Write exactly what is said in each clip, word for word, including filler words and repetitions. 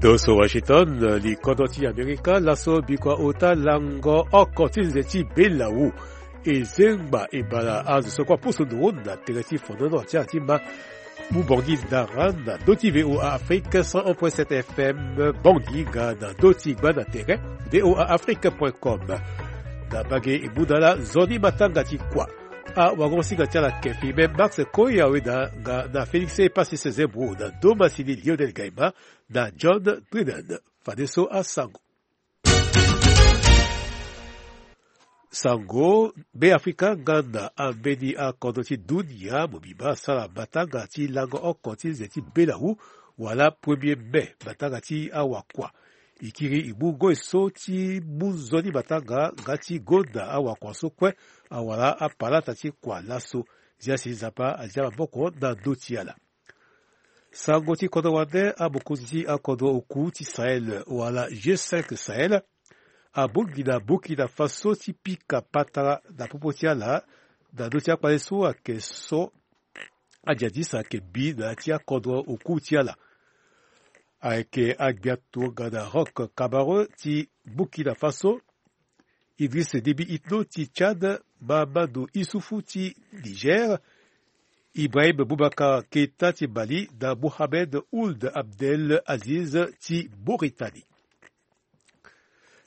Toso Washington, likodro ti Amerika laso bikua ota lango oko ti nze ti belawu. E zengba e bala azo so kue aposo nduru na tere ti fonono ti ala ti ma. Mu bongi ndara na ndö ti V O A Afrique cent un point sept F M, bongi nga na ndö ti gbanda tere V O A Afrique point com. Na mbage e mu na ala nzoni matanga ti kua. Awagosinga ti ala kefi me Max Koya weda nga na Félix Epassi Sezebro na ndo masini Lionel Gaima na John Drennan. Fadeso asango. Sango, Beafrika nga na ambeni akodro ti dunia mobimba asara matanga ti lango oko ti nze ti belawu, wala premier mai, matanga ti awakua. E kiri e mu ngoi so ti mu nzoni matanga nga ti gonda awakua so kue awara apalata ti kua laso. Zia si Nzapa azia maboko na ndö ti ala. Sango ti kodro wande, amokonzi ti akodro oku ti Sahel wala G cinq Sahel abongbi na Burkina Faso ti pika patara na popo ti ala na ndö ti akpale so ayeke so ajadis ayeke bi na ya ti akodro oku ti ala. Ayeke agbia tongana Roch Kaboré ti Burkina Faso, Idriss Déby Itno ti Tchad, Mahamadou Issoufou ti Niger, Ibrahim Boubacar Keïta ti Mali na Mohamed Ould Abdel Aziz ti Mauritanie.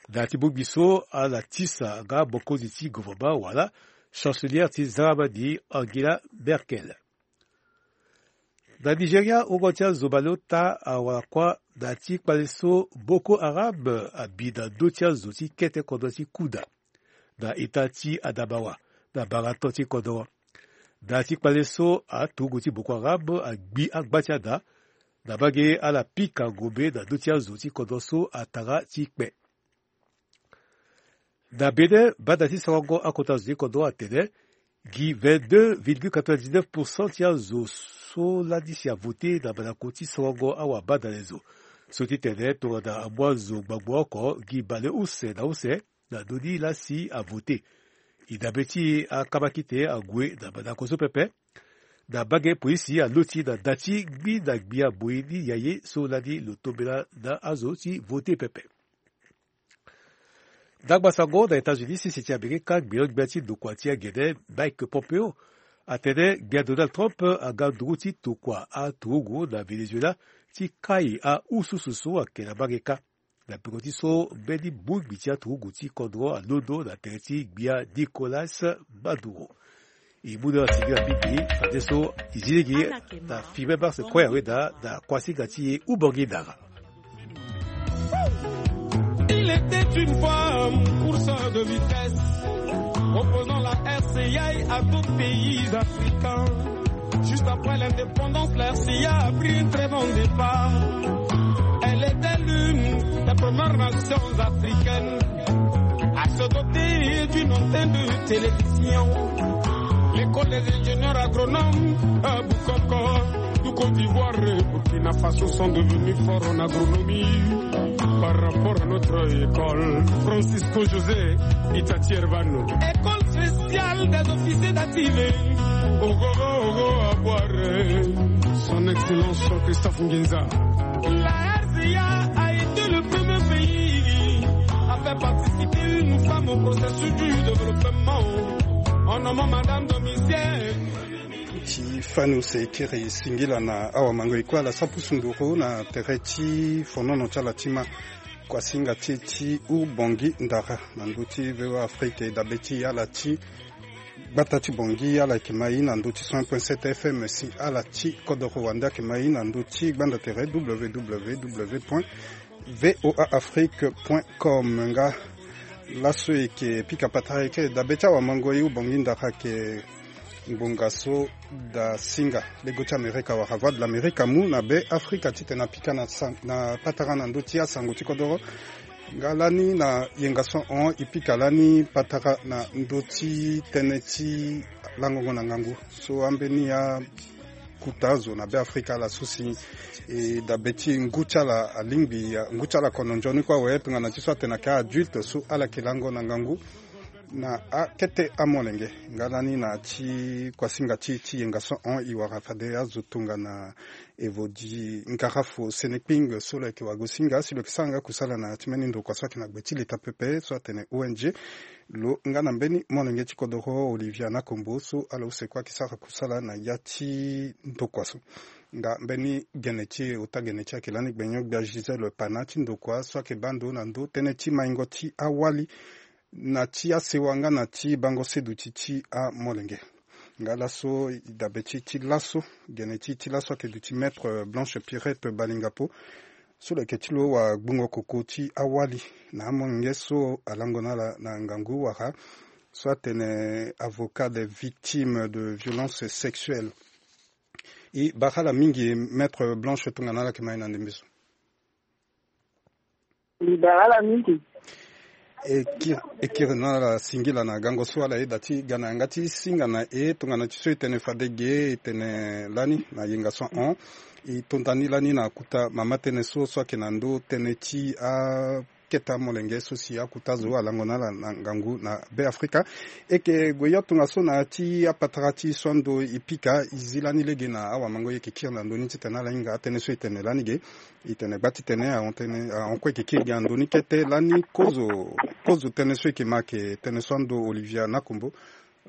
Na ya ti bongbi so ala tisa nga mokonzi ti gouvernement wala chancelière ti Zaramani, Angela Merkel. Na Nigeria, wungo ti azo baleota awara kuâ na ya ti kpale so Boko Haram abi na ndö ti azo ti kete kodro ti Kuda, na eta ti Adamawa, na marathon ti kodro. Na ya ti kpale so aturugu ti Boko Haram agbi agba ti ada, na mbage ala pika ngombe na ndö ti azo ti kodro so atara ti kpe. Na Bénin, banda ti sarango akota zo ti kodro atene gi vingt-deux virgule quatre-vingt-dix-neuf pour cent ti azo so lani si avote na mandako ti sarango awabandalezo. So ti tene tongana amu azo ngbangbo oko gi bale use na use na ndö ni laa si avote. E dabe ti akamakite ague na mandako so pepe. Na mbage polisi aloti na da ti gbi na gbia moi ni ya ye so lani lo tombela na azo ti vote pepe. Ndangba sango na États-Unis, sese ti Amerika, ngbia ngbia ti ndokua ti agene Mike Pompeo atene gbia Donald Trump aga nduru ti tokua aturugu na Venezuela ti kai aususu so ayeke na mbage kâ. Na peko ti so mbeni bongbi ti aturugu ti kodro alondo na tere ti gbia Nicolas Maduro. E mu na ala singila mingi, fadeso e zi lege na filme Mars Koya weda na kuasinga ti e Ubongi Ndara. Il était une fois un course de vitesse, opposant la R C I à d'autres pays africains. Juste après l'indépendance, la R C I a pris un très bon départ. Elle était l'une des premières nations africaines à se doter d'une antenne de télévision. L'école des ingénieurs agronomes, euh, Bukoko, du Côte d'Ivoire et Burkina Faso sont devenus forts en agronomie par rapport à notre école. Francisco José Itati Hervano. École spéciale des officiers d'activé. Ogogo, ogo, à boire. Son Excellence Christophe Nginza. La R C A a été le premier pays à faire participer une femme au processus du développement en nommant Madame Domicienne. Ti fani use e kiri singila na awamango e kue ala sara pusu nduru na tere ti fonono ti ala ti ma. Kuasinga ti e ti Ubongi Ndara na ndö ti V O A Afrique e dabe ti ala ti gbata ti Bangui, ala yeke ma e na ndö ti cent un point sept F M, si ala ti kodoro wande ayeke ma e na ndö ti gbanda tere W W W point V O A Afrique point com. Nga laso e yeke pika patara eke dabe ti awamango e Ubongi Ndara ayeke ngbonga so da singa lego ti Amerika wala Voix de l'Amérique amu na Be Afrika titene apika na sa-, na patara na ndö ti asango ti kodoro. Nga lani na yenga so ahon e pika lani patara na ndö ti tënë ti langongo na ngangu so ambeni akuta azo na Be Afrika ala so si e dabe ti ngu ti ala alingbi, ngu ti ala kono nzoni kue awe tongana ti so atene ayeke adulte so ala yeke lango na ngangu. Na akete amolenge nga lani na ti kuasinga ti ti yenga so hon e wara fade azo tongana evodi ngarafu senekping so lo yeke wagosinga si lo yeke sara nga kusala na ti mbeni ndokua so ayeke na gbe ti leta pepe so atene O N G. Lo nga na mbeni molenge ti kodoro Olivia Nakombo so ala use kue ayeke sara kusala na ya ti ndokua so. Nga mbeni gene ti e ota gene ti e ayeke lani gbenyo-gbia Gisèle Pana ti ndokua so ayeke baa ndo na ndo tënë ti maingo ti awali na ti asewa nga na ti bango seduti ti amolenge. Nga laso e dabe ti ti laso gene ti ti laso ayeke duti Maître Blanche Pierrette Balingapo so lo yeke ti lo wagbongo koko ti awali na amolenge so alango na ala na ngangu wala so atene avocat des victimes de violence sexuelle. E bara ala mingi Maître Blanche tongana ala yeke ma e na ndembe so. Libara la mingi. E kiri, e kiri na ala singila na gango so ala yeda ti ga na yanga ti singa na e tongana ti so e tene fade ge e tene lani na yenga so hon. E tonda ni lani na kuta mama tënë so so ayeke na ndo tënë ti akete amolenge so si akuta zo alango na ala na ngangu na Be Afrika. E yeke gue yo tongaso na ya ti apatara ti so ando e pika e zi lani lege na awamango e yeke kiri na ndö ni titene ala hinga atënë so e tene lani ge. E tene gba titene ahon tënë ahon kue e yeke kiri gi na ndö ni kete lani kozo kozo tënë so e yeke ma ayeke tënë so ando Olivia Nakombo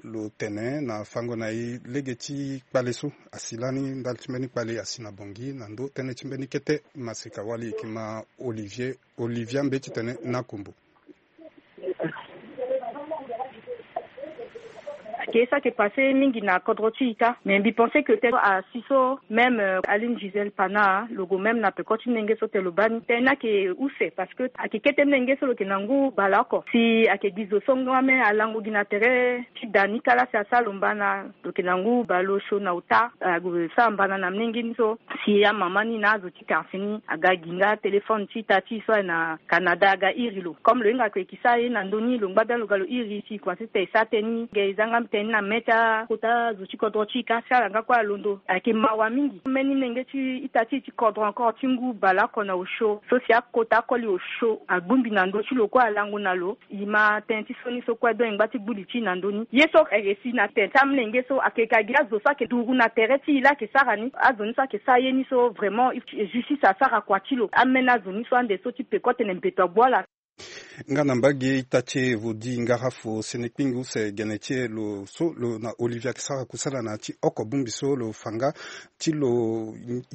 lo tene na fango na e lege ti kpale so asi lani ndali ti mbeni kpale asi na Bangui na ndö tënë ti mbeni kete maseka wali e yeke ma Olivier Olivia mbeti tene Nakombo. Ake so ake passe mingi na kodro ti ita mais mbi pense que tene asi so même Aline Gisèle Pana lo gue même na peko ti mlenge so tene lo baa ni tene ni ake use parce que ake kete mlenge so lo yeke na ngu baleoko si ake gi zo so nga même alango gi na tere ti da ni kala si asara lo mbana lo yeke na ngu baleosio na ota ague sara mbana na mlenge ni so si amama ni na azo ti quartier ni aga gi nga téléphone ti ita ti e so aye na Canada aga iri lo comme lo hinga kue e yeke sara ye na ndö ni lo ngba bien lo ga lo iri si e kua ti tene e sara tënë ni ge e za nga tënë ni na me ti akota zo ti kodro ti e ka si ala nga kue alondo ayeke mawa mingi mbeni nenge ti ita ti e ti kodro encore ti ngu baleoko na osio so si akota akoli osio agbongbi na ndö ti lo kue alango na lo e ma tënë ti so ni so kue donc e ngba ti gbu li ti e na ndö ni ye so ere si na tene ti amolenge so ayeke ka gi azo so ayeke duru na tere ti e laa ayeke sara ni azo ni so ayeke sara ye ni so vraiment justice asara kua ti lo ameni azo ni so ande so ti peko tene mbeto agbu ala. Nga na mbage ita ti e vodi ngarafu senekpingu se gene ti e lo so lo na Olivier ayeke sara kusala na ya ti oko bongbi so lo fa nga ti lo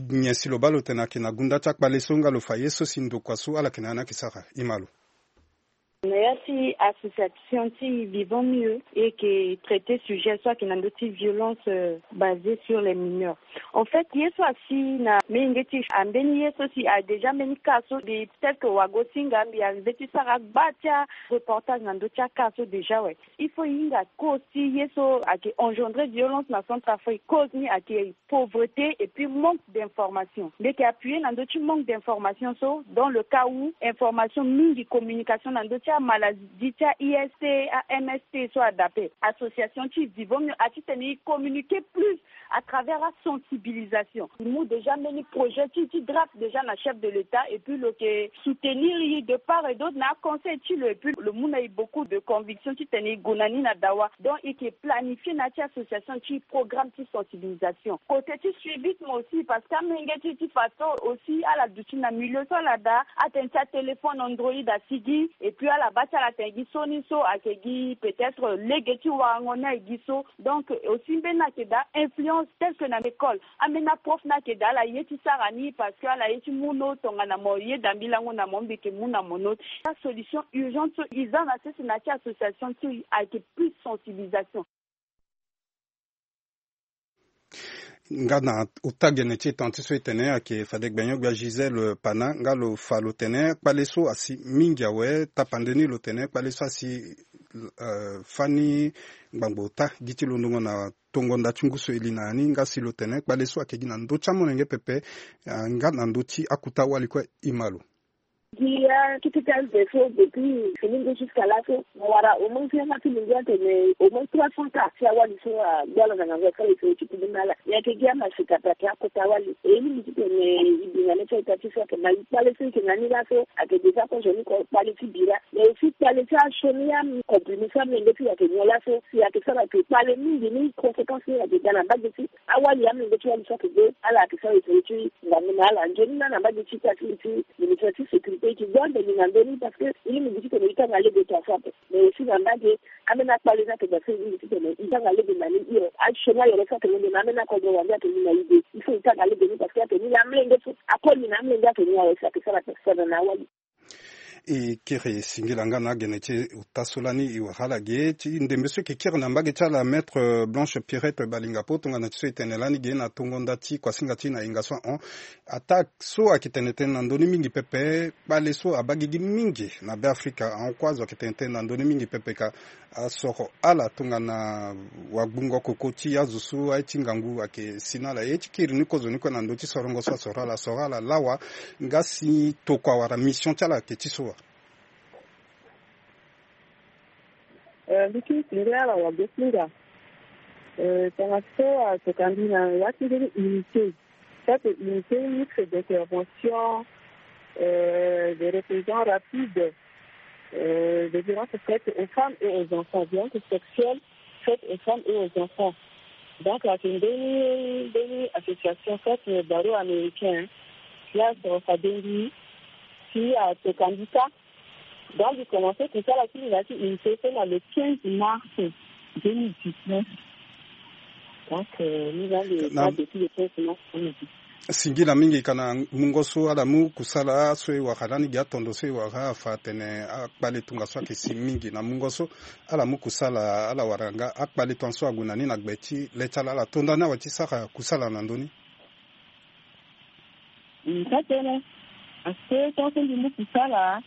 nyen si lo baa lo tene ayeke na gunda ti akpale so nga lo fa ye so si ndokua so ala yeke na ya ni ayeke sara e ma lo. Na ya ti association ti Vivons Mieux e yeke traiter sujet so ayeke na ndö ti violence basée sur les mineurs. En fait ye so asi na menge ti ambeni ye so si a déjà mbeni cas so mbi peut-être que wagosinga mbi arrivé ti sara gba ti areportage na ndö ti acas so déjà awe. Il faut e hinga cause ti ye so ayeke engendrer violence na Centrafrique, cause ni ayeke pauvreté et puis manque d'information. Mbi yeke appuyer na ndö ti manque d'information so dans le cas où information mingi communication na ndö ti amaladie ti a I S T, a M S T so adape. Association ti Vivons Mieux a ti tene e communiquer plus à travers la sensibilisation. E mu déjà mbeni projet ti e ti drape déjà na chef de l'Etat et puis lo yeke soutenir e de part et d'autre na aconseil ti lo et puis lo mu na e beaucoup de conviction ti tene e gue na ni na dawa. Donc e yeke planifier na ya ti association ti e programme ti sensibilisation. Côté ti suivisme aussi parce que amenge ti e ti fadeso aussi ala duti na milieu so ala daa atene ti atéléphone Android asi gi et puis ala baa ti ala tene gi so ni so ayeke gi peut-être lege ti warango ni aye gi so. Donc aussi mbeni ayeke daa influence tel que na école ambeni aprof ni ayeke daa ala ye ti sara ni parce que ala ye ti mu no tongana mo yeda mbi lango na mo mbi yeke mu na mo no. Asolution urgente so e za na sese na ya ti association ti e ayeke plus sensibilisation. Nga na ota gene ti e tene ti so e tene ayeke fade gbenyo-gbia Gisèle Pana nga lo fa lo tene kpale so asi mingi awe tapande ni lo tene kpale so asi fani ngbangbo ota gi ti londongo na tongo nda ti ngu so e li na ya ni nga si lo tene kpale so ayeke gi na ndö ti amolenge pepe nga na ndö ti akuta wali kue e ma lo. Gi akete ti aze so depuis fini nde jusqu'à laso, mo wara au moins si yanga ti lingia atene au moins trois cents cas ti awali so agbu ala na ngangu asara ese ti kubu na ala. Nyen ayeke gi amaseka ape ayeke akota wali. E e lingbi titene e bi na le ti a-ita ti so ayeke na e kpale so e yeke na ni laso ayeke déjà kozo ni ko kpale ti bira. Mais aussi kpale ti asioni acomprimé so amolenge ti e ayeke nyon laso si ayeke sara ayeke kpale mingi ni conséquence ni ayeke ga na mbage ti awali amolenge ti wali so ayeke ge ala ayeke sara ese ti ngangu na ala nzoni laa na mbage ti ita ti li ti ministre ti sécurité e yeke gbu ande ni na ndö ni parce que e lingbi titene e tanga lege tongaso ape. Mais aussi na mbage ambeni akpale ni ayeke daa so e lingbi titene e tanga lege na ni hiro asioni ayoro so ayeke londo na ambeni akodro wande ayeke ni na e de. Il faut e tanga lege ni parce que ayeke ni na amolenge so akoli na amolenge ayeke ni awe so ayeke sara personne na awali. E kiri singila nga na agene ti e ota so lani e wara ala ge ti ndembe so e yeke kiri na mbage ti ala maître Blanche Pierrette Balinga Poo tongana ti so e tene lani ge na tongo nda ti kuasinga ti e na hinga so ahon. Attaque so ayeke tene tënë na ndö ni mingi pepe kpale so abaa gigi mingi na Beafrika ahon kue azo ayeke tene tënë na ndö ni mingi pepe ka asoro ala tongana wagbungo koko ti azo so aye ti ngangu ayeke si na ala. E ye ti kiri ni kozo ni kue na ndö ti sorongo so asoro ala asoro ala lawa nga si tokua wala mission ti ala ayeke ti so wa. Eh, mbi kiri ti nde ala wagosinga. Eh, tongaso atokua mbi na ya ti mbeni unité. Cette unité mixte d'intervention, euh, de répression rapide, euh, de violence faite aux femmes et aux enfants, violence sexuelle faite aux femmes et aux enfants. Donc ayeke mbeni mbeni association kati na baro américain ti asoro fade mbi ti atokua mbi kâ. Donc mbi commencé kusala ti mbi na ya ti unité so na le quinze mars deux mille dix-neuf. Donc euh, mbi na mbi na depuis le quinze mars deux mille dix-neuf. Singila mingi ka na mungo so ala mu kusala so e wara lani gi atondo so e wara afa atene akpale tongaso ayeke si mingi na mungo so ala mu kusala ala wara nga akpale tongaso ague na ni na gbe ti le ti ala ala to ndani awe ti sara kusala na ndö ni. Ka tënë. Parce que tant que mbi mu kusala,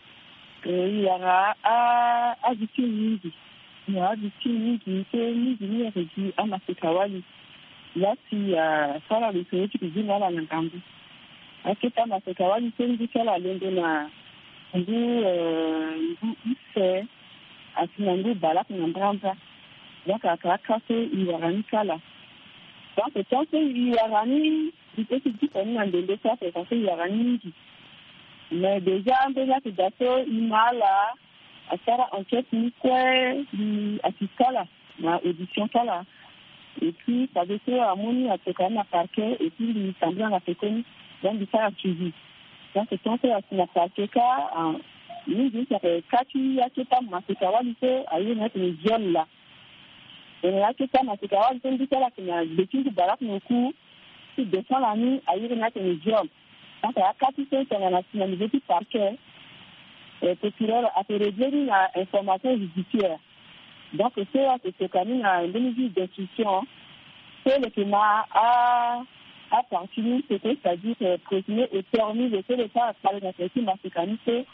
eh, e wara a, avictime mingi. E wara avictime mingi, so mingi ni ayeke gi amaseka wali. Laa si asara lo so ti ke gi na ala na ngangu. Akete amaseka wali so ngu ti ala alondo na ngu, eh, ngu use, asi na ngu baleoko na mbrambra. Donc ayeke aka so e wara ni kâ laa. Donc tant que e wara ni, mbi peut ti diko ni na ndembe so ape parce que e wara ni mingi. Mais déjà mbeni ayeke daa so e ma ala asara enquête ni kue, mbi assiste ala na audition ti ala. Et puis fade so amu ni atokua ni na parquet et puis mbi tambula na pekoni. Donc mbi sara suivi. Donc tant que asi na parquet kâ, ah, mingi si ayeke ka ti akete amaseka wali so a iri ni atene viol laa. Tongana akete amaseka wali so ngu ti ala ayeke na gbe ti ngu baleoko na oku ti défend lani a iri ni atene viol. Donc aka ti so tongana si na niveau ti parquet, eh, procureur ayeke réglé ni na information judiciaire. Donc so ayeke tokua ni na mbeni juge d'instruction so lo yeke ma a, apartie ni so, c'est-à-dire, eh, présumé auteur ni, lo so lo sara kpale na tere ti maseka ni so.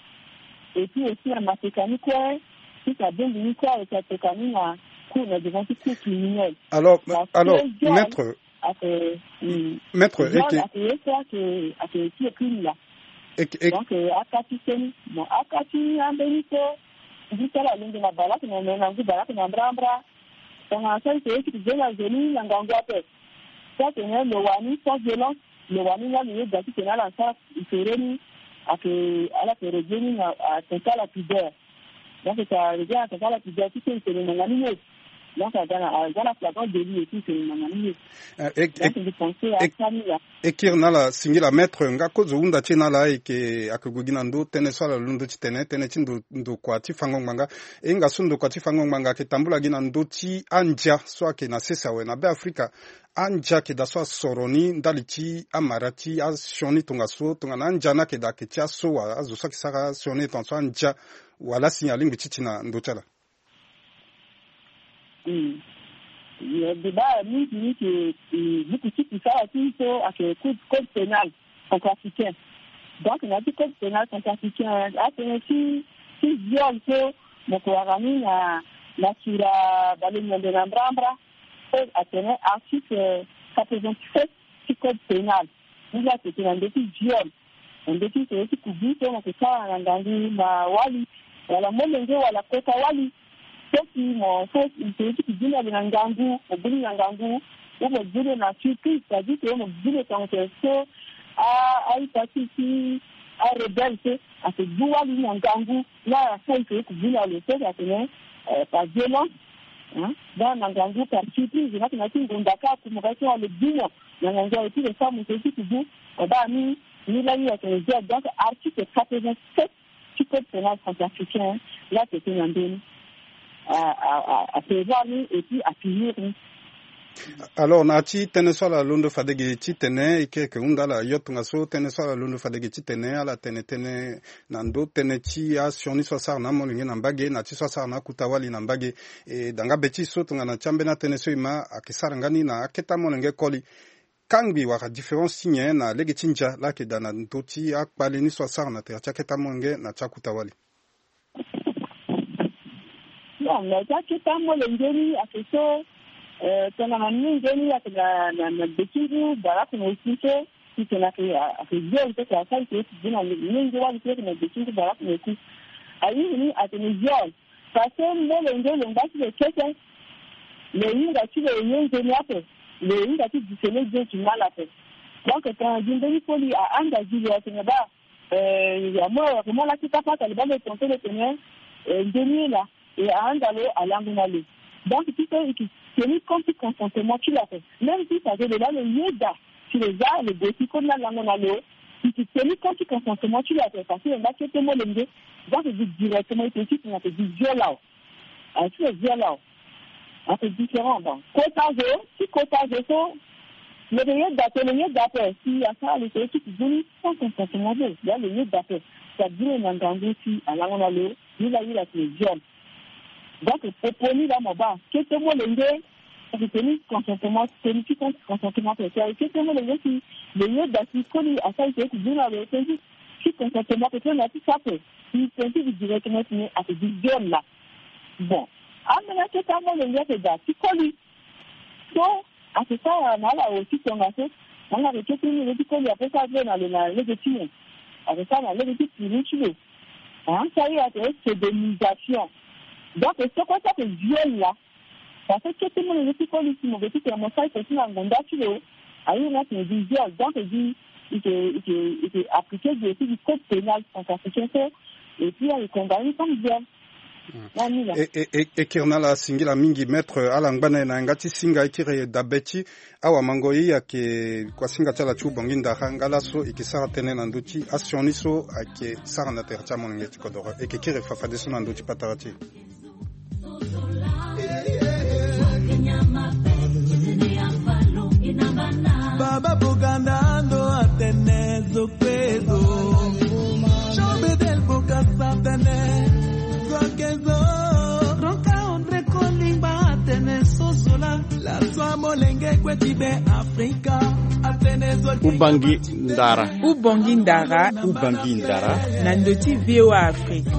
Et puis aussi na maseka ni kue, si abongbi ni kue, ayeke atokua ni na cour, na devant ti cour criminelle. Alors, alors, maître, ayeke, hmm, maître, viol ayeke, ayeke ye so ayeke, ayeke ti ye crime laa. Eke, eke. Donc, eh, aka ti seni, bon, aka ti ambeni so ngu ti ala alingbi na baleoko na, na ngu baleoko na mbrambra. Tongana so ayeke ye ti ke zoni azoni na ngangu ape. So atene lo wani sans violence, lo wani nga lo ye da titene ala sara ifere ni, ayeke, ala yeke réglé ni na attentat à la pudeur. Donc ça revient à attentat à la pudeur, titene e tene na nga ni ye. Donc aza na, aza na flagrant délit et puis e tene na nga ni ye. Eh, eh, donc eh, mbi pense eh, aka ni laa. E kiri na ala singila maître, nga kozo hunda ti e na ala ayeke, ayeke gue gi na ndö tënë so ala londo ti tene, tënë ti ndo, ndokua ti fango ngbanga. E hinga so ndokua ti fango ngbanga ayeke tambula gi na ndö ti andia so ayeke na sese awe na Beafrika. Andia ayeke daa so asoro ni ndali ti amara ti asioni tongaso, tongana andia ni ayeke daa ayeke ti aso wa, azo so ayeke sara asioni tongaso andia, wala si alingbi ti ti na ndö ti ala. Hmm. Débat mingi ni ke, eh, buku ti kusala ti so ayeke code, code pénal centrafricain. Donc na ya ti code pénal centrafricain, atënë ti, ti viol so mo yeke wara ni na, na sura balenyembe na mbrambra. Code atene article quatre-vingt-sept ti code pénal. Ni laa ayeke tene na ndö ti viol. na ndö ti sere ti kubu so mo yeke sara na ngangu na wali, wala molenge wala kota wali. So si mo so sere ti kubu ni ayeke na ngangu, mo boni na ngangu, ou mo boni na surprise, c'est-à-dire que mo boni tongaso so a a-ita ti ti arebelle so ayeke gbu wali ni na ngangu, ni ala sara sere ti kubu ni na lo so si atene par violence, hein, donc na ngangu par surprise, ni atene na ti ngonda kâ, mo ga ti wali gbu mo na ngangu aye ti lo sara mo sere ti kubu. Mo baa ni, ni lani atene viol. Donc article quatre-vingt-sept ti code pénal centrafricain la tete na ndö ni a a a a prévoir ni et puis a punir ni. Alors na ti tënë so ala londo fade ge titene e ke yeke hunda ala yo tongaso tënë so ala londo fade ge titene ala tene tënë na ndö tënë ti asioni so asara na amolenge na mbage na ti so asara na akuta wali na mbage. E da nga be ti so tongana ti ambeni atënë so e ma ayeke sara nga ni na akete amolenge koli. Kangbi wala différence ti nyen na lege ti ndia la ayeke daa na ndö ti akpale ni so asara na tere ti akete amolenge na ti akuta wali? Non, na ya ti akete amolenge ni ayeke so, eh, tongana molenge ni ayeke na na na gbe ti ngu baraku na oku so, si tena ayeke ayeke viol so ayeke asara eke ti gbu na molenge wali so ayeke na gbe ti ngu baraku na oku. Aye ni atene viol. Parce que molenge lo ngba ti lo kete, lo hinga ti lo ye nzoni ape, lo hinga ti disele bien ti mal ape. Donc tongana gi mbeni koli ahanga gi lo atene baa, eh, ya mo ayeke mo laki kapa ata lo baa lo tongaso lo tene, eh, nzoni ye laa. E ahanda lo alango na lo. Donc ti so e ke teni compte ti consentement ti lo ape. Même si ça veut dire lo laa lo yeda si lo za lo gue ti koni alango na lo, e ke teni compte ti consentement ti lo ape parce que lo nga kete molenge. Donc e gi directement e tene ti tene ake gi viol awe. Ake ti lo viol awe. Ake différent. Donc kota zo ti kota zo so lo ke yeda ape, lo yeda ape si asara lo tene ti kubu ni sans consentement ti lo. Lo laa lo yeda ape. Ça veut dire na ngangu si alango na lo. Ni laa ye la tene viol. Donc popo ni laa mo baa kete molenge ayeke teni consentement, teni ti consentement ape. Si ayeke kete molenge si lo yeda si koli asara eke ti gbu na lo, teni ti consentement ape, teni na ya ti so ape. Si teni ti gi directement titene ayeke gi viol laa. Bon, ambeni akete amolenge ayeke daa ti koli. So ayeke sara na ala aussi tongaso. Anga ayeke kete ni lo ti koli ape so azo na lo na lege ti nyen? Ayeke sara na lege ti puru ti lo. Hein, ça y est, ayeke sodomisation. Donc soko ti ayeke viol laa. Parce que kete ni lo ti koli si mo ke ti tene mo sara eke ti na ngonda ti lo. Aye ni atene gi viol. Donc e gi e ke e ke e ke appliquer gi aussi gi code pénal centrafricain so. Et puis ayeke condamné comme viol. E, e, e, e kiri na ala singila mingi maître, ala ngba na e na yanga ti singa e kiri dabe ti awamango ye ayeke kuasinga ti ala ti Ubongi Ndara nga laso e ke sara tënë na ndö ti asioni so ayeke sara na tere ti amolenge ti kodoro. E ke kiri fafadeso na ndö ti patara ti e. Baba Boganda ndo atene zo kue zo. Jean Bedel Bokassa atene zo ake zo. Ronka André Kolingba atene sosola. Laso amolenge kue ti be Afrika atene zo. Ubangi Ndara. Ubangi Ndara. Ubangi Ndara. Na ndö ti V O A Afrique.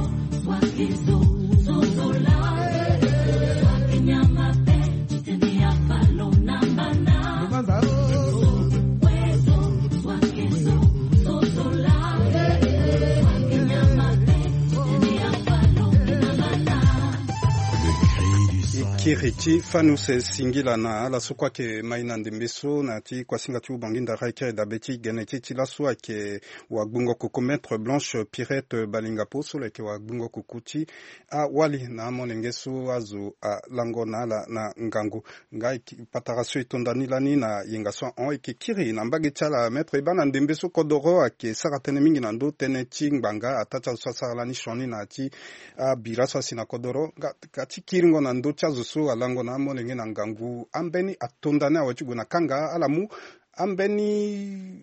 E kiri ti fani use singila na ala so kue ayeke mai na ndembe so na ya ti kuasinga ti Ubangi Ndara. E kiri dabe ti gene ti e ti laso ayeke wagbongo kuku Maître Blanche Pierrette Balinga Poso, lo yeke wagbongo kuku ti awali na amolenge so azo alango na ala na ngangu. Nga e ki patara so e to nda ni lani na yenga so ahon. E ke kiri na mbage ti ala Maître, e baa na ndembe so kodoro ayeke sara tënë mingi na ndö tënë ti ngbanga, ataa ti azo so asara lani sioni na ya ti abira so asi na kodoro. Nga ka ti kiringo na ndö ti azo so alango na amolenge na ngangu, ambeni atonda ni awe ti gue na kanga? Ala mu ambeni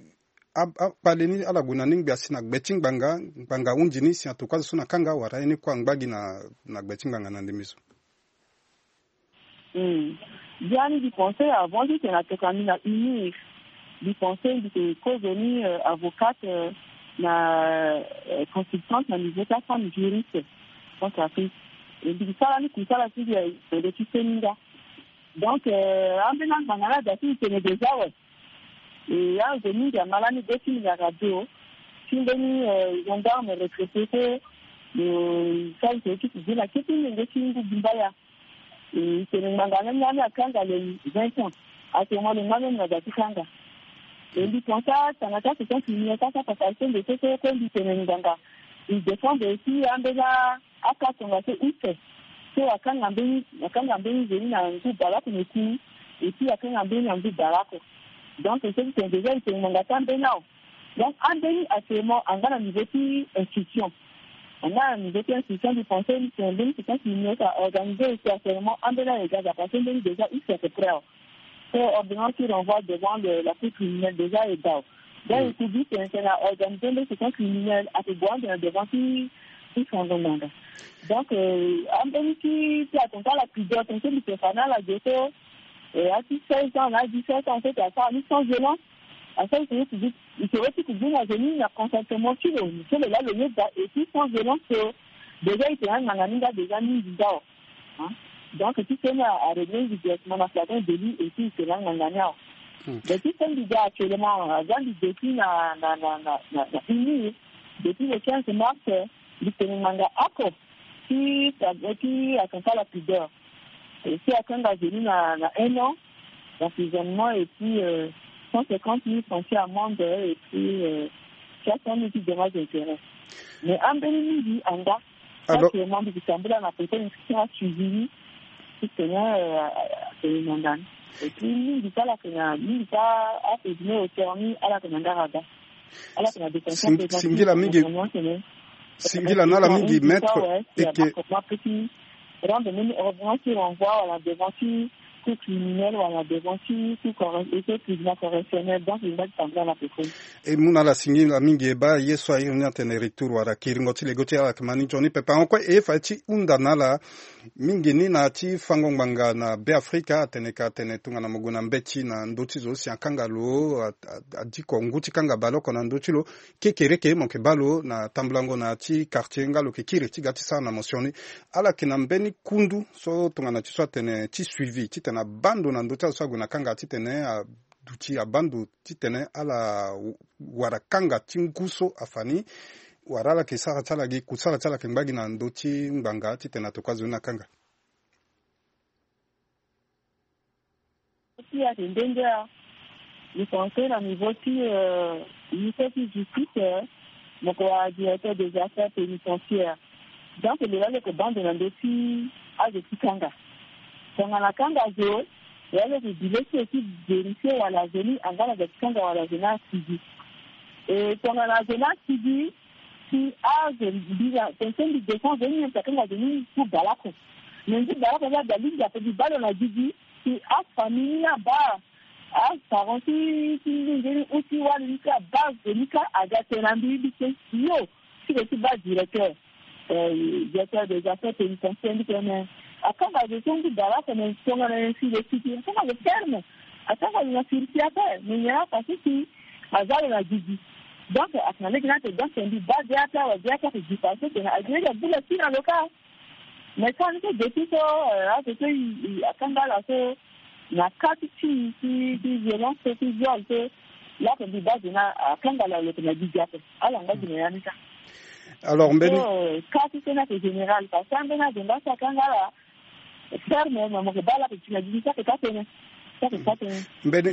a, akpale ni ala gue na ni ngbi asi na gbe ti ngbanga, ngbanga ahunzi ni si atokua azo so na kanga wala ye ni kue angba gi na, na gbe ti ngbanga na ndembe so? Hmm. Biani mbi pense avant ti tene atokua mbi na UNIR, mbi pense mbi yeke kozo ni, euh, avocate, euh, na, euh, consultante na niveau ti afemme juriste Centrafrique. E mbi yeke sara ni kusala ti mbi aye na ndö ti seninga. Donc, euh, ambeni angbanga ni ada ti mbi tene déjà awe. E azo mingi ama lani be ti mbi na radio. ti mbeni, euh, gendarme retraité so, euh, sara ite ti kuzu na kete lenge ti ngu Bumbaya. E, e tene ngbanga ni, ni akanga le vingt ans. Actuellement le ngbanga ni na da ti kanga. E mbi pense atanga ti asequence criminelle ti asara pasage ti ende so, so mbi tene ngbanga e défendre aussi ambeni aka tongaso use. So akanga mbeni, akanga mbeni nzoni na ngu bale oko na eku, et puis akanga mbeni na ngu bale oko. Donc so ti tene déjà e tene ngbanga ti ambeni awe. Donc ambeni actuellement anga na niveau ti instruction. Anga na niveau ti instruction du conseil, c'est un mbeni, c'est un criminel qui a organisé aussi actuellement ambeni aye gaza parce que mbeni déjà use à peu près awe. So ordonnance ti renvoi devant le, la cour criminelle déjà e dao. Donc e kuzu tene tene a organisé mbeni, c'est un criminel ake gue ande na devant ti, ti sango ngbanga. Donc, euh, ambeni ti, ti attentat à la pudeur, tene so mbi tene fa na ala ge so, euh, a ti seize ans na dix-sept ans so, tene asara ni sans violence. Asara ite ti kuzu, ite ti kuzu na nzoni na consentement ti lo, so lo laa lo yeda, et puis sans violence so déjà ite na ngbanga ni nga déjà mingi nga awe. Hein? Donc ti so ni a, a régler directement na flagrant délit et puis ite na ngbanga ni awe. Hmm. Mais ti so mbi ga actuellement, aza mbi depuis na, na, na, na, na, na UNIR, depuis le quinze mars, mbi tene ngbanga oko ti, ti attentat à la pudeur. Et si akanga nzoni na, na un an d'emprisonnement et puis, euh, cent cinquante mille francs ti amende et puis, euh, trois cent mille ti dommages et intérêts. Mais ambeni mingi anga. Alors, actuellement mbi ke tambula na côté inscription a suivi ti tene, euh, atene na ndani. Et puis mingi ti ala yeke na, mingi ti a, a présumé auteur ni ala yeke na ndara da. Ala yeke na détention préventive. Singila mingi. Singila na ala mingi, maître. Eke rendre mbeni ordonnance ti renvoi wala devant ti cour criminelle wala devant ti cour corre-, et ti tribunal correctionnel. Donc e ngba ti tambula na pekoni. E mu na ala singila mingi, e baa ye so a iri ni atene retour wala kiringo ti lego ti ala yeke ma ni nzoni pepe. Ahon kue e ye fa ti hunda na ala mingi ni na ti fango ngbanga na Beafrika, atene ka atene tongana mo gue na mbeti na ndö ti zo si akanga lo, a, a, adiko ngu ti kanga baleoko na ndö ti lo, kekereke mo yeke baa lo na tambulango na ya ti quartier nga lo yeke kiri ti ga ti sara na mo sioni. Ala yeke na mbeni kundu so tongana ti so atene ti suivi titene abaa ndo na ndö ti azo so ague na kanga titene aduti abaa ndo titene ala wara kanga ti ngu so afa ni, wala ala yeke sara ti ala gi, kusala ti ala yeke ngba gi na ndö ti ngbanga titene atokua zo ni na kanga. Ti ayeke ndenge a, mi pense na niveau ti, euh, ministère ti justice, euh, mo yeke wara directeur des affaires pénitentiaires. Donc lo laa lo yeke baa ndo na ndö ti azo ti kanga. Tongana akanga zo, lo laa lo yeke gi le ti lo ti vérifier wala zo ni anga na da ti kanga wala zo ni asigi. E tongana zo ni asigi, si azo mbi na tene so mbi défend zo ni, mbi yeke kanga zo ni ngu baleoko. Me ngu baleoko ni ada lingbi ape mbi baa lo na gigi, si afamille ni abaa, aparent ti, ti ngingi ni ou ti wali ni ti abaa zo ni kâ, aga tene na mbi, mbi tene yo ti lo ti baa directeur, euh, directeur des affaires pénitentiaires, mbi tene akanga zo so ngu baleoko, me tongana nyen si lo sigi, akanga zo ferme, akanga zo na sursis ape, me nyen afa so si azia lo na gigi. Donc atene na lege ni atene donc mbi baa ge ape awe, ge ape ake gi fa so tene agi lege abu lo ti na lo kâ. Mais so ande so depuis so, euh, azo so i, i, akanga ala so na kâ ti ti ti, ti violence so, ti viol so, laa ape mbi baa zo ni akanga ala lo yeke na gigi ape. Ala ngba gi na ya ni kâ. Alors mbeni, so, euh, kâ ti so ni ayeke général parce que ambeni azo nga so akanga ala ferme, me mo yeke baa ala yeke gi na gigi, so ayeke kâ tënë. Mbeni,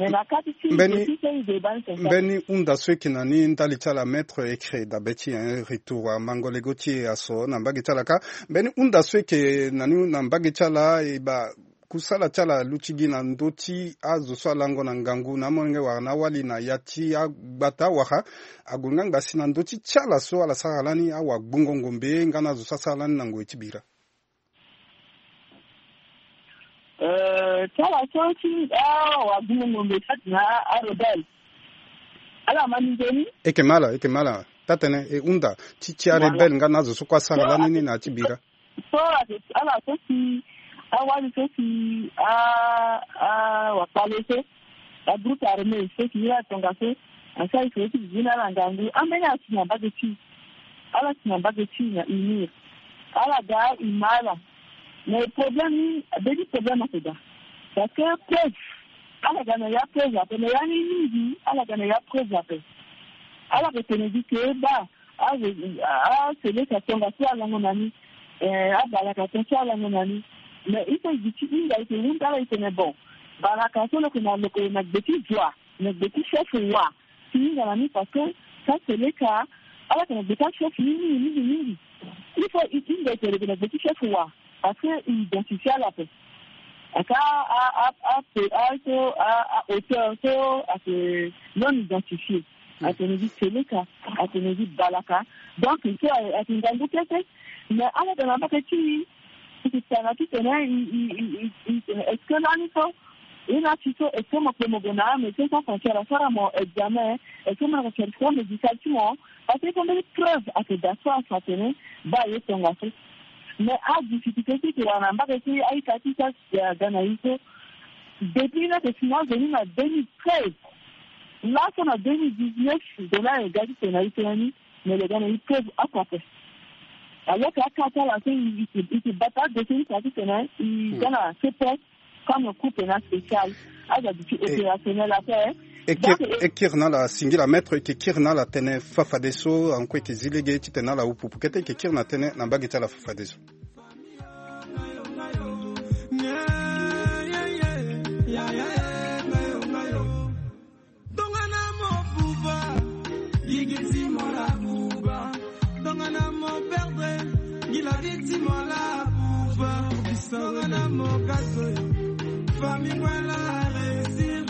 mbeni hunda so e yeke na ni ndali ti ala, maître, e kiri dabe ti, hein, retour amango lego ti e aso na mbage ti ala kâ. Mbeni hunda so e yeke na ni na mbage ti ala, e baa kusala ti ala aluti gi na ndö ti azo so alango na ngangu na amolenge wala na awali na ya ti agbata wala ague nga ngba si na ndö ti ti ala so ala sara lani awagbongo ngombe nga na azo so asara lani na ngoi ti bira. Euh, ti ala so ti awagbongo ngombe ti atene arebelle. Ala ma ni nzoni? E yeke ma ala, e yeke ma ala. Taa-tënë, e hunda ti, ti arebelle nga na azo so kue asara lani ni na ya ti bira. So, ala so si awali so si a, a, wakpale so, agroupe armé so si iri atongaso asara iri so ti bibi na ala ngangu, ambeni ala si na mbage ti, ala si na mbage ti na UNIR. Ala ga e ma ala. Mais problème ni, mbeni problème ayeke daa. Parce que preuve, ala ga na ya preuve ape, na ya ni mingi ala ga na ya preuve ape. Ala yeke tene gi ke baa, a, a, seleka tongaso alango na ni, eh, abalaka tongaso alango na ni. Mais il faut e gi ti hinga, e yeke hunda ala, e tene bon, balaka so lo yeke na, lo yeke na gbe ti zua, na gbe ti chef wa. Ti hinga na ni parce que ka seleka, ala yeke na gbe ti achef ni mingi mingi mingi. Il faut e hinga e tene lo yeke na gbe ti chef wa. Parce que e identifie ala ape. Aka a, a, a, a, so, a, a auteur so ayeke non identifié. Atene gi seleka, atene gi balaka. Donc so ayeke ngangu kete. Mais ala yeke na mbage ti e, e yeke tanga titene e, e, e, e, e tene est-ce que lani so e na ti so, est-ce que mo kpe mo gue na Médecins Sans Frontières asara mo examen, est-ce que mo na certificat médical ti mo? Parce que il faut mbeni preuve ayeke daa so afa atene baa aye tongaso. Mais adifficulté ti e yeke wara na mbage ti e, a-ita ti e so aga na e so. Depuis ni ayeke si na venu na deux mille treize. Laso na deux mille dix-neuf zo ni aye ga titene e tene ni, mais lo ga na e preuve oko ape. Alors que aka ti ala so e, e, e, e bata adossier ni fa titene e ga na C P S comme cour pénale spéciale. Aza duti opérationnel ape. E kiri, donc e kiri na ala singila maître, e yeke kiri na ala tënë fafadeso, anko e yeke zi lege titene ala hupupu kete, e yeke kiri na tënë na mbage ti ala fafadeso. Tongana mo buba, yigiti mo la buba. Tongana mo perdre, ngila giti mo la buba. Tongana mo gazo yo, fami ngwela réussir.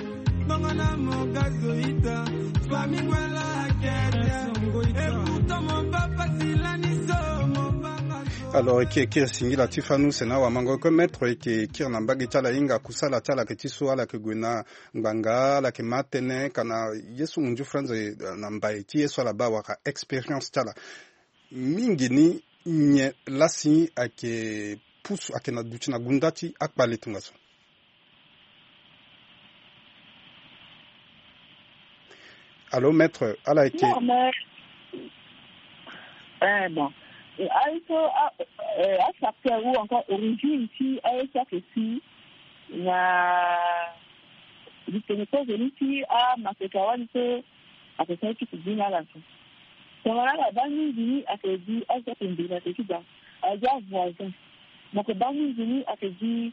Tongana mo gazo ita, fami ngwela kete. Et pourtant mo papa silani so, mo papa so. Alors, e yeke kiri singila ti fanu si na wamango oko maître, e yeke kiri na mbage ti ala hinga kusala ti ala ayeke ti so ala yeke gue na ngbanga, ala yeke ma tënë ka na ye so ngunzu franze, eh, na mbai ti ye so ala baa wala expérience ti ala. Mingi ni nyen lasi ayeke pusu, ayeke na duti na gunda ti akpale tongaso? Allô, maître, ala yeke. Non, mais, eh, bon. Eh, aye so, ah, eh, afacteur ou encore origine ti aye so ayeke si na litene kozoni ti amaseka wali so ayeke sara ti kubi na ala so. Tongana ala baa mingi ni ayeke gi azo ayeke mbeni ayeke ti daa, azo avoisin. Mo yeke baa mingi ni ayeke gi,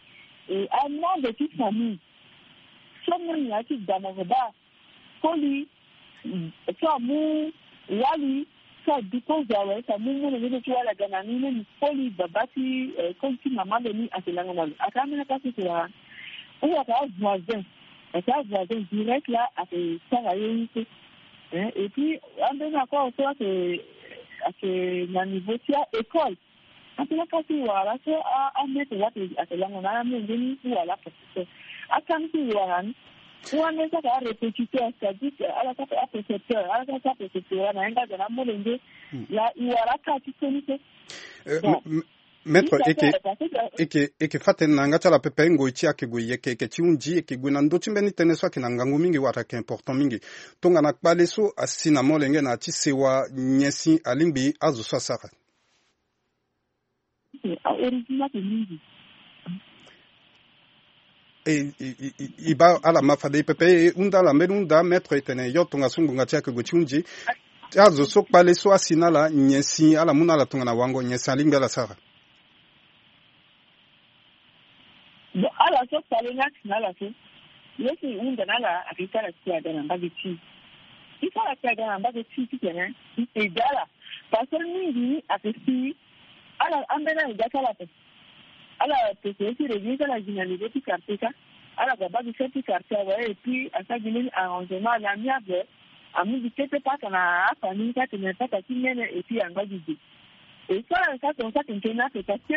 eh, amembre ti famille. So mo yeke ti daa mo yeke baa koli, so amu wali, so adu kozo awe, so amu molenge ti wali aga na ni, ni koli baba ti, eh, koli ti mama lo ni ayeke lango na lo. Ayeke ambeni akasi ti wara. Ou ayeke avoisin. Ayeke avoisin direct la ayeke sara ye ni so. Hein, et puis ambeni akoro so ayeke, ayeke na niveau ti a-école. Atene akasi wala so a, amaître wala ake, ake lango na amolenge ni ou wala professeur. Akasi wala ni. Ou ande saka arépétiteur, c'est-à-dire que ala saka aprécepteur, ala saka aprécepteur na yanga aga na amolenge. Hmm. La i wala aka ti so ni so. Euh, bon. M-, m-, maître, eke, eke, eke fa tënë na yanga ti ala pepe, ngoi ti e ake gue yeke, eke ti hunzi, eke gue na ndö ti mbeni tënë so ake na ngangu mingi wala ake important mingi. Tongana kpale so asi na molenge na ya ti sewa, nyen si alingbi azo so asara? A original ke mingi. E, e, e, e, e baa ala ma fade e pepe, e hunda ala mbeni hunda, maître, e tene yo tongaso ngonga ti e ake gue ti hunzi. Ti azo so kpale so asi na ala, nyen si ala mu na ala tongana wango, nyen si alingbi ala sara? Bon, ala so kpale ni asi na ala so, ye so e hunda na ala ake ti ala si aga na mbage ti e. Ti so ala si aga na mbage ti e titene e aide ala. Parce que mingi ni ake si ala ambeni ala ga ti ala ape. Ala pese ye ti réglé ti ala gi na niveau ti quartier ka. Ala ga baa gi chef ti quartier awe, et puis asara gi mbeni arrangement à l'amiable. Amu gi kete paka na afamille ka tene paka ti nene, et puis angba gi ge. E so ala ka tongaso ake tene ape parce que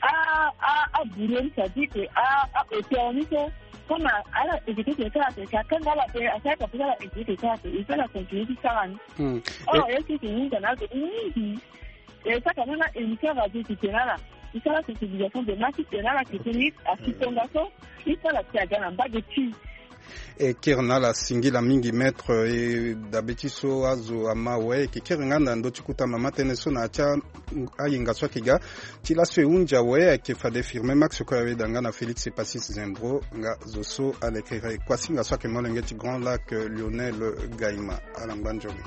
a, a, a bourreau ni, c'est-à-dire que a, a auteur ni so, comme a, ala exécuter ti ala ape, ka kanga ala ape, asara ka peut ala exécuter ti ala ape, e so ala continuer ti sara ni. Hmm. Or, e so ke hunda na azo mingi. E saka na na émission radio ti tene ala, ti sara sensibilisation de masse ti tene ala, ti tene asi tongaso, ti sara ti aga na mbage ti. E kiri na ala singila mingi maître, e dabe ti so azo ama awe e ke kiri nga na ndö ti kota mama tënë so na ya ti ayenga so ayeke ga. Ti laso e hunzi awe ayeke fade Firmin Max Koyawe da nga na Félix Epassis Zembro nga zo so alekere kuasinga so ayeke molenge ti Grand Lac, Lionel Gaïma. Ala ngba nzoni.